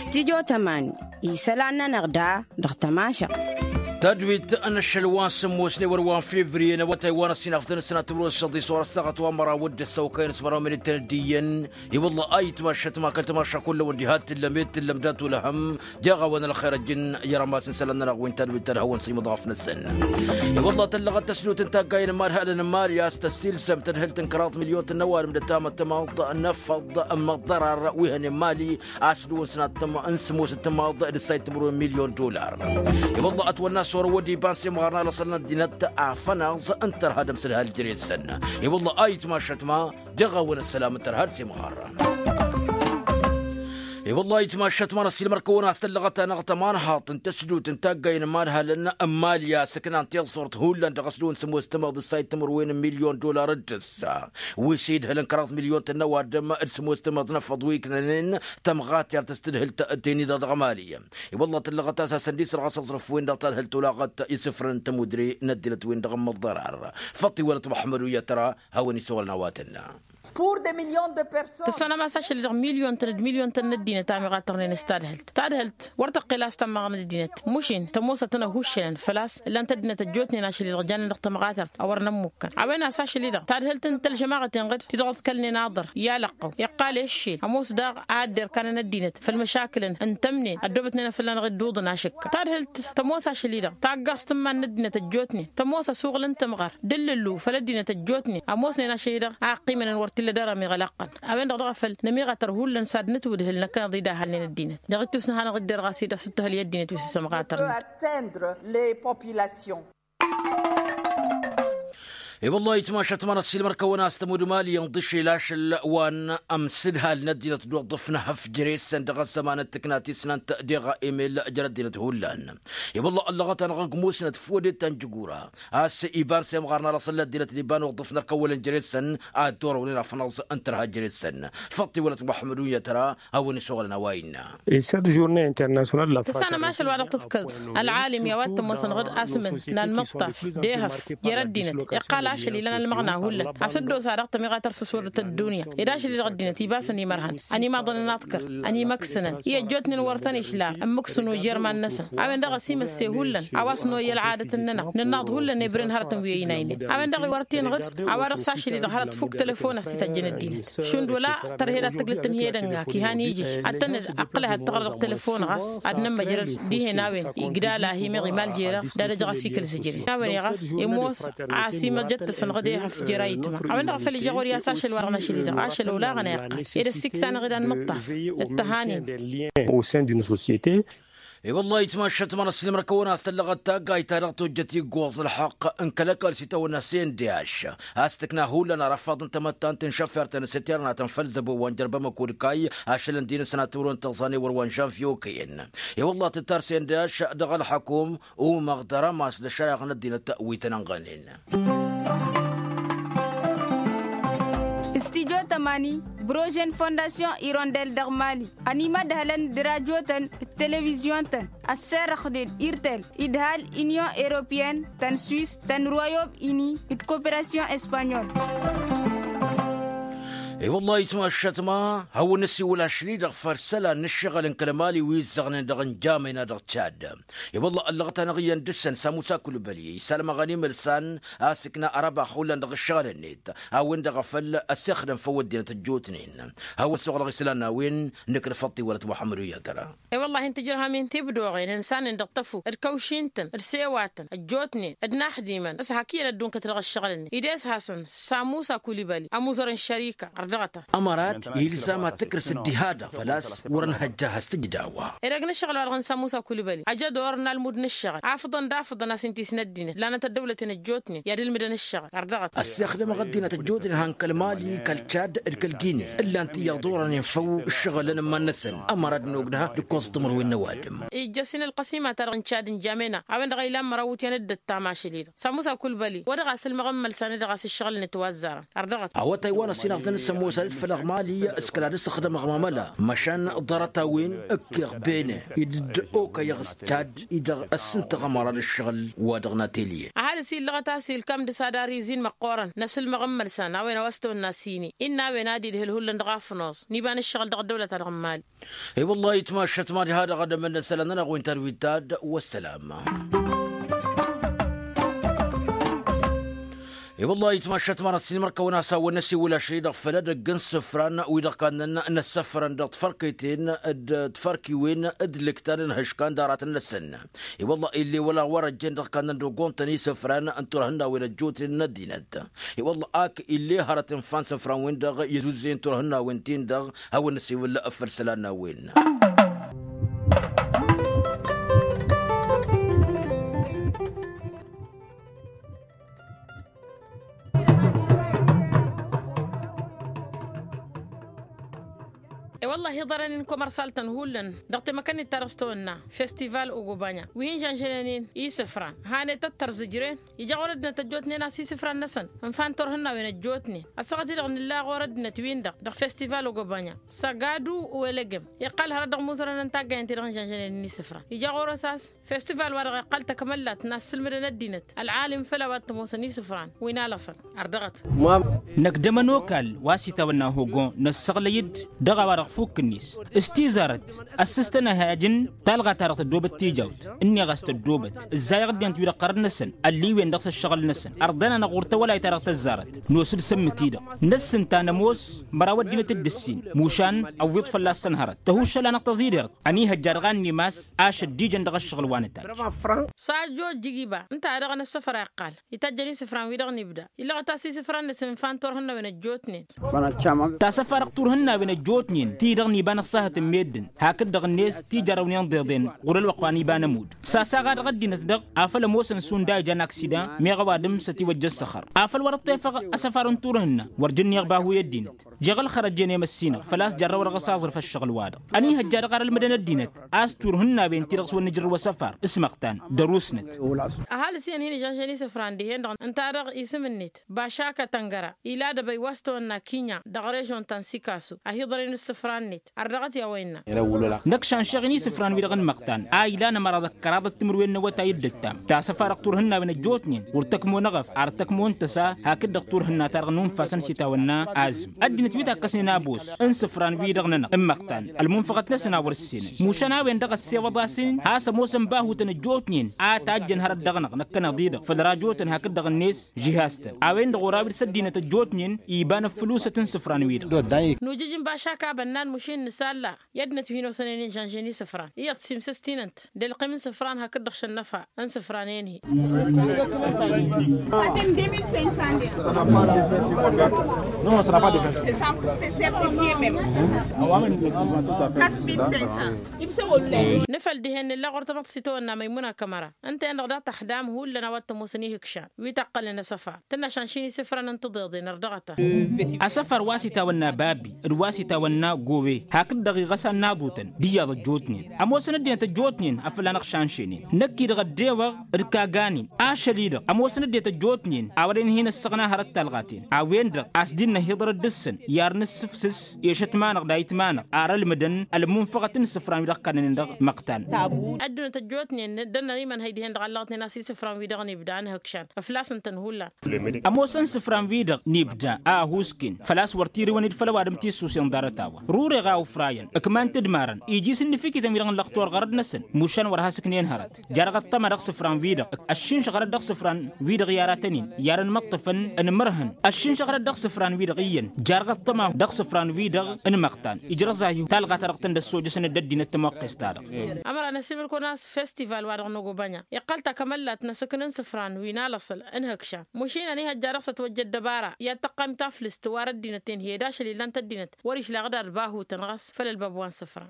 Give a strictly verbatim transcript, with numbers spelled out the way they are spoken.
Stidyo tămani isălan-nănăɣ da dăɣ-tămašăɣt. Tadwit n-ašăl wa n-sǝmmosne wăr wa n-fevriye n-awătay wa n-ăssinafdăn s-nătwăr-wăr s-săḍis wăr-ăssaɣăt wa n-măraw d-ăssăwăkăyăn s-măraw minităn d-iyyăn. I-wălla a itmašăt ma kăl-tămaša kullăn wa n-diha t-tǝllăm i-t-tǝllăm dat-ulăhăm. Deɣ a-wen ălxer ăjjǝn i-rămas n-isălan-nănăɣ wi n-tadwit ad-hawăn-săymăḍ ɣăf-năsăn. I-wălla tăllăɣăt tăsnut n-taggayen n-imadhalăn n-imali a-s tăssiilsăm tadhǝlt n-kăraḍ milyon tǝnnăw adǝm d-ătamăttămaḍ n-efăḍ n-măḍḍărar wi hănen imali a-s dăɣ-wăn sănat n-sămoos n-tǝmmaḍ d-ǝssay timǝrwen milyon dollar. I-wălla ătwănna s-orăwăd iba n-semɣar n-alăṣăl n-ăddinăt afănaẓ n-tărha d-ămsǝdhal jere-săn. I-wălla a itmašăt ma dăɣ-a-wen ăssălam n-tărha d-semɣar. I-wălla a itmašăt ma n-ăssiilmăr-kăwăn a-s tăllăɣăt-anăɣ tămanhaḍt n-tăsdut n-taggayen n-imadhalăn n-imali a-s ǝknan tiẓẓurt hullan dăɣ-s dăɣ-wăn sămoos tǝmmaḍ d-ǝssay timǝrwen n-milyon dollar d-ǝssa wi s-idhǝlăn kăraḍ milyon tǝnnăw adǝm d-sămoos tǝmmaḍ n-efăḍ wi ǝknănen tămɣatert s-tǝdhǝlt teni-dăɣ dăɣ-imali. I-wălla tăllăɣăt a-s hasăn-dd-isrăɣ asăẓrǝf-wen-dăɣ tadhǝlt olaɣăt isǝfrăn n-tămudre n-ăddinăt-wen-dăɣ n-măḍḍărar. Făṭṭ-iwălăt muḥămmăd uyyăt tăra hawăn-isuɣǝlăn a-wa tǝnna. Tǝssanăm a-s ašăl-i-dăɣ milyon-tăn d-milyon-tăn n-ăddinăt a miɣatărnen s-tadhǝlt tadhǝlt wăr tăqqel a-s tămmaɣ n-ăddinăt mušin tămoosăt n-ăhuššănăn făl-a-s ǝllan-t ăddinăt ăjjootnen ašăl-i-dăɣ jannen dăɣ-tămɣatărt a wărăn ămmukkăn a-wen a-s ašăl-i-dăɣ tadhǝlt n-tălžămaɣăten ɣǝd ti-dăɣ ǝḍkălnen aḍăr i-alăqqăw iqqal i-ăššel ămoos daɣ a dd-irkanăn ăddinăt făll-măšakǝlăn ǝntămnen ăddoobătnen a fălla-năɣ dd-uḍǝn ašǝkka tadhǝlt tămoos ašăl-i-dăɣ taggaẓt n-iman n-ăddinăt ăjjootnen tămoos asuɣǝl n-tǝmɣar d-ǝllǝllu făll-ăddinăt ăjjootnen ămoosnen ašăl-i-dăɣ a ăqqimănăn wăr t-illa d-arăm iɣălăqqăn a-wen-dăɣ dăɣ-afăl nămiɣatăr hullan s-ad-nǝtwǝdhǝl năkkăneḍ-dd ahălnen ăddinăt dăɣ-ittus n-ad-hanăɣ-dd-irɣas i-dăɣ s-dd-tăhăl i-ăddinăt wi s-isămɣatărnen. I-wăllah itmašăt ma n-ăssiilmăr-kăwăn a-s tămud mali inḍǝšel ašăl wa n-ămsǝdhal n-ăddinăt d-uḍǝf n-ehăf jere-săn dăɣ-ăzzăman d-tǝkna tisnant deɣ emel jer-ăddinăt hullan. I-wăllah ăllăɣăt-anăɣ ăgg musnăt făw dd-tănjǝgura a-s iba n-semɣar n-alăṣăl n-ăddinăt n-iba n-uḍǝf n-ărkăwălăn jere-săn ad-dd-orăwnen afănăẓ n-tărha jere-săn. Făṭṭ-iwălăt muḥămmăd uyyăt tăra hawăn-isuɣǝlăn a-wa innă. Tăssanăm ašăl wa dăɣ-tǝfkăḍ ălɣalim i-a-wa t-ămoosăn ɣǝd asǝmǝn n-anmǝṭṭaf d-ehăf jer-ăddinăt iqqal ašăl ilan ălmăɣna hullan a-s dd-osa daɣ tămiɣatăr s-ăswădăt ăddunya ed ašăl-i-dăɣ ăddinăt ibasăn imărhăn ănimaḍăn n-aḍkăr ănimăksǝnăn i-ăjjootnen wăr tăn-išla ǝmmǝksǝnu jer-iman-năsăn. A-wen-dăɣ ăsimăsse hullan a-wa s-noyy ălɣadăt-nănăɣ nǝnnaḍ hullan ebren hărătăn wi ăynaynen a-wen-dăɣ iwărten ɣǝd a-wa dăɣ-s ašăl-i-dăɣ hărăt fuk telefon a-s ităjjăn ăddinăt šund wăla tărhed ad-tǝglǝt tǝnhedănga kihan ijǝš ad-tăn-dd-ăqqǝlăh ad-tăɣrăd dăɣ-telefon ɣas ad-nămmăjrăd dihen a-wen igdal a hi-meɣ imal jer-eɣ d-ad-ăj ɣas ikǝl zǝjre a-wen i-ɣas imoos a-s imăjăt-tăsăn ɣǝd ehăf jer-ayǝtma. A-wen-dăɣ a făl ija ɣur-i a-s ašăl wa dăɣ-năšli-dăɣ ašăl olaɣăn a iqqăl ed ăssiktăn ɣǝd anmǝṭṭaf d-tăhanen. Au sein d'une société. I-wăllah itmašăt ma n-ăssiilmăr-kăwăn a-s tăllăɣăt taggayt ta dăɣ-tojjăt iggoẓ ălḥăqq n-kăl-ăkall s-itawănna s-e n-d-i-ašš a-s tǝkna hullan arăfaḍ n-tamăttant n-šăfert n-asǝternatăn făll-zăbo wa n-jărbăm ăkod kayy ašăl n-din-săn ad-tǝwrǝwăn tăẓẓane wăr-wa n-žanvyo kăyăn. I-wăllah tǝttar s-e n-d-i-ašš dăɣ-ălḥăkum umăɣ d-arămas d-ăššăreɣ n-ăddinăt wi tăn-ănɣănen. Studyo tămani brožen fondasyon irondel dăɣ-mali ănimădhălăn d-rajotăn d-televizyon-tăn ăsserăxnen irtel idhal inyon europeyăn tăn-swiss tăn-royom ini d-koperasyon espanyol. I-wăllah itmašăt ma hawăn-năsiwǝl ašli-dăɣ făll-isălan n-ǝššăɣǝl n-kăl-mali wi ǝzzăɣnen dăɣ-injamăyna dăɣ-tšad. I-wălla ăllăɣăt-anăɣ iyyăn dăɣ-săn samusa kulbăli isălmăɣăn imǝlsan a-s ǝkna arăbax hullan dăɣ-ǝššăɣǝl-net a-wen-dăɣ a făl ăssexdăm făw ăddinăt ăjjootnen. Hawăn-suɣǝlăɣ isălan n-a-wen nǝknǝfăḍ-t iwălăt muḥămmăd uyyăt tăra. I-wăllahi ǝnta ijrăhăm-in tibdoɣen ǝnsanăn dăɣ-tăfu d-kăwši-tăn d-sewatăn ăjjootnen d-inaxdimăn s-hak iyyăn ad-dd-unkăt dăɣ-ǝššăɣǝl-net ed e-s hasăn-samusa kulbăli ămuẓăr n-šărika. Ărdăɣăt ămărat ilzam ad-tǝkrǝs dd-iha-dăɣ făl-a-s wăr-ănhăjja has-tǝjdawă. Ed ăgg n-ǝššăɣǝl-wa-dăɣ n-samusa kulbăli ăj ădor n-almud n-ǝššăɣǝl afǝḍăn d-afǝḍăn a-s ǝnta isnă ăddinăt lanăt ăddăwlăten ăjjootnen i-ad-ǝlmǝdăn ǝššăɣǝl. Ărdăɣăt ăssexdăm ăɣ ăddinăt ăjjootnen han kăl-mali kăl-čad d-kăl-gine ǝllan-t iyyăḍ orănen făw ǝššăɣǝlăn n-iman-năsăn. Ămăra d-nogdăha d-ǝkkoẓ timǝrwen n-ăwadǝm. Ijjăs-in ălqăsimat-ta-dăɣ n-čad n-jamena a-wen-dăɣ a ilan măraw iwǝtyan d-ăttam ašăl-i-dăɣ samusa kulbăli wa dăɣ-a-s ǝlmăɣ n-imălsan-i-dăɣ a-s ǝššăɣǝl-net wa ăzzarăn. Ărdăɣăt. Awătay wa n-ăsinafḍăn. Mosal-dd făll-aɣmali s-kăla d-ăssăxdămăɣ mamăla măšan ḍarăt-a-wen ǝkkeɣ bene-i d-dd-okăyăɣ s-tad-i-dăɣ ăssintăɣ ămăra d-ǝššăɣǝl-wa-dăɣ n-atelye. Ăhalǝs illăɣăt a-s ilkam d-s ad-arr izin măqqoorăn n-asǝlmăɣ n-imălsan a-wen a-wa s-tawănna s-ini innă a-wen ad-idhǝl hullan dăɣ-afnoẓ n-iba n-ǝššăɣǝl dăɣ-ăddăwlăt-ta-dăɣ n-imali. I-wăllah itmašat mad-iha dăɣ-ad-ămănnăsălăn-nănăɣ wen tarwit-ta-dd. Wăssălam. I-wăllah itmašat mad-ăssin mărkăwăn a-s hawăn-năsiwǝl ašăl-i-dăɣ făll-edăgg n-isǝfran wi-dăɣ kannăn n-ăssăfrăn dăɣ-tifărkăyten d-tifărkiwen d-lǝktan n-ihǝškan d-aratăn-năsăn. I-wăllah ill'-e wăla wăr-ăjjeen dăɣ-kannăn d-ogontăn isǝfran n-turhǝnnawen ăjjootnen n-ăddinăt. I-wăllah ak ill'-e hărăt n-ifa n-isǝfran-wen-dăɣ i-ăzuzzen turhǝnnawen-tin-dăɣ hawăn-năsiwǝl făll-isălan n-a-wen. E-wălla-hi ḍarăn-in komărsal-tăn hullan dăɣ-temăkănnit-ta-dăɣ s-tawănna festival ogobanya wi hin-žănžănen-in isǝfran hanet ăttărzǝjren. Ija ɣur-ăddinăt ăjjootnen a-s isǝfran-năsăn ǝnfa n-turhǝnnawen ăjjootnen ăssaɣăt-i-dăɣ nǝlla ɣur-ăddinăt-win-dăɣ dăɣ-festival ogobanya. Săgadu welăgem iqqal hărăt dăɣ-imuzărăn n-taggayăn-ti-dăɣ n-žănžănen-in isǝfran ija ɣur-s a-s festival-wa-dăɣ iqqal takmăllat n-ad-sǝlmǝdăn ăddinăt ălɣalim făll-a-wa t-ămoosăn isǝfran wi n-alăṣăn. Ărdăɣăt. Năkk d-ămănokal wa s-itawănna hogon năssăɣlăy-dd dăɣ-a-wa-dăɣ fukk-net s-tizarăt ăssǝstăn ad-hajǝn talɣa-ta-dăɣ tăddoobăt tijawt ǝnneɣ a-s tăddoobăt ǝzzayăɣ ăddinăt-wi-dăɣ ɣărăt-năsăn ălliwen dăɣ-s ăššăɣǝl-năsăn ărḍăn-anăɣ ɣur-tawălayt-ta-dăɣ tăzzarăt. Nos-dd sămmǝk-i-dăɣ năssǝnta nămoos măraw ăddinăt dd-ǝssin mušan ăwwiḍ fălla-săn hărăt tăhuššăl-anăɣ tăẓidert. Ăniihăjja dăɣ-annim a-s ašăl d-ijăn dăɣ-ăššăɣǝl wa nǝtajj. S-ajjojjǝg iba ǝnta-dăɣ n-ăssăfăr a iqqal itajjăn isǝfran-wi-dăɣ n-ibda illăɣăt a-s isǝfran-năsăn ǝnfa n-turhǝnnawen ăjjootnen. Tasăfa dăɣ-turhǝnnawen ăjjootnen ti-dăɣ n-iba n-ăṣṣahăt n-meddǝn hakd-dăɣ-net tijarrăwnen d-iḍen ɣur-ălwăqq wa n-iba n-ămudd. S-asaɣa dăɣ-ăddinăt-dăɣ afăl ămoosăn šund a ijan aksida meɣ ăwadǝm s-ătiwăjja ăssăxăr afăl wăr-ăṭṭefăɣ asăfar n-turhǝnna wăr jǝnneɣ bahu i-ăddinăt. Jeɣ ǝlxărăj-en i-măssinăɣ făl-a-s jarrăwădăɣ s-aẓrǝf ăššăɣǝl-wa-dăɣ. Ăniihăjja dăɣ-arălmǝdăn ăddinăt a-s turhǝnnawen-ti-dăɣ s-wăr nǝjrǝw asăfar s-măqtan. Dăr-usnăt. Ăhalǝs iyyăn hin-ižănžăn isǝfran dihen-dăɣ ǝnta-dăɣ isǝm-net bašaka tăngăra ila dăbăy wa s-tawănna kinya dăɣ-režon ta n-sikasu a hi-iḍăren ǝssǝfra-net. Ărdăɣăt i-a-wa innă. Năkk šanšeɣ-in isǝfran-wi-dăɣ n-imăqtan a ilan ămăra d-ăkkăraḍăt timǝrwen n-awătay d-ǝttam. Tasăfa dăɣ-turhǝnnawen ăjjootnen ɣur-tăkmo n-eɣăf ar tăkmo n-tăsa hakd-dăɣ turhǝnna-ta-dăɣ nunfasăn s-itawănna azǝm. Ăddinăt wi takkăsnen abos n-isǝfran-wi-dăɣ-nănăɣ n-imăqtan ălmunfăɣăt-năsăn a wăr-ǝssenăn mušan a-wen-dăɣ ăssewăḍ-asăn has-ămoosăn bahutăn ăjjootnen a tajjăn hărăt dăɣ-năɣ năkkăneḍ-i-dăɣ făll-rajotăn hakd-dăɣ-net žihaz-tăn. A-wen-dăɣ oraw-dd s-ăddinăt ăjjootnen iba n-ăffǝlusăt n-isǝfran-wi-dăɣ. Nujǝj n-bašak abănnan mušin nǝsalla i-ăddinăt wi hin-osănen inžănžen isǝfran iyyăḍ simsǝstinăn-t d-ălqim n-isǝfran hakd-dăɣ šănnăfa n-isǝfran-en-hi. Nǝfăl dihen nǝlla ɣur-tamăḍt s-itawănna măymuna kămăra ǝnta-en-dăɣ daɣ tăxdam hullan a-wa t-ămoosăn ihǝkšan wi tăqqălnen asăfar tǝnna šanšin isǝfran n-tiḍeḍen ărdăɣăt-a. Asăfar wa s-itawănna babi d-wa s-itawănna gowe hakd-dăɣ iɣăsan n-aḍutăn d-iyyăḍ ăjjootnen ămoosăn ăddinăt ăjjootnen afăl-anăɣ šanšenen. Năkk-i-dăɣ ăddewăɣ d-kaganin ašăl-i-dăɣ ămoosăn ăddinăt ăjjootnen a wărăn hin-ăssăɣna hărăt talɣaten. A-wen-dăɣ a-s dd-năhiḍăr d-dăɣ-săn i-ar nǝssǝfsǝs ešăt ma-năɣ dayǝt ma-năɣ ar ălmǝdăn ălmunfăɣăt n-isǝfran wi dăɣ-kannănen dăɣ-măqtan. Ăddinăt ăjjootnen dăr-năn imănhăy dihen-dăɣ allăɣătnen a-s isǝfran wi dăɣ-nibda ănhǝkšan ăflasăn-tăn hullan. Ămoosăn isǝfran-wi-dăɣ nibda a ăhuusken făl-a-s wăr t-irǝwăn-dd făll-ăwadǝm tissusen ḍarăt-a-wa rureɣ a ufrayăn ǝkman-t d-imarăn iji s-ǝnnǝfikităn-wi-dăɣ n-lăxtur ɣărăt-năsăn. Mušan wăr has-ǝknen hărăt. Jarăɣ ăṭṭăma dăɣ-isǝfran-wi-dăɣ ăššinšăɣ hărăt dăɣ-isǝfran-wi-dăɣ i-aratăn-in i-ad-ănmăṭṭăfăn ănmărhăn ăššinšăɣ hărăt dăɣ-isǝfran-wi-dăɣ iyyăn. Jarăɣ ăṭṭăma dăɣ-isǝfran-wi-dăɣ ǝnmăqtan ijrăẓ-ahi talɣa-ta-dăɣ tăn-dd-ăssojăsăn d-ăddinăt tămoqqes-ta-dăɣ. Ămăra n-ăsimǝl-kăwăn a-s festival-wa-dăɣ n-ogobanya iqqăl takămăllat n-asǝkn n-isǝfran wi n-alăṣăl n-ihǝkšan mušin ănihăjja dăɣ-s ătwăjja ăddăbara i-ad-tăqqam taflǝst wa dăr-ăddinăt-en hi-ădašăl illan-t ăddinăt wăr-išlăɣ d-ad-bahutăn ɣas făll-ălbab wa n-isǝfran.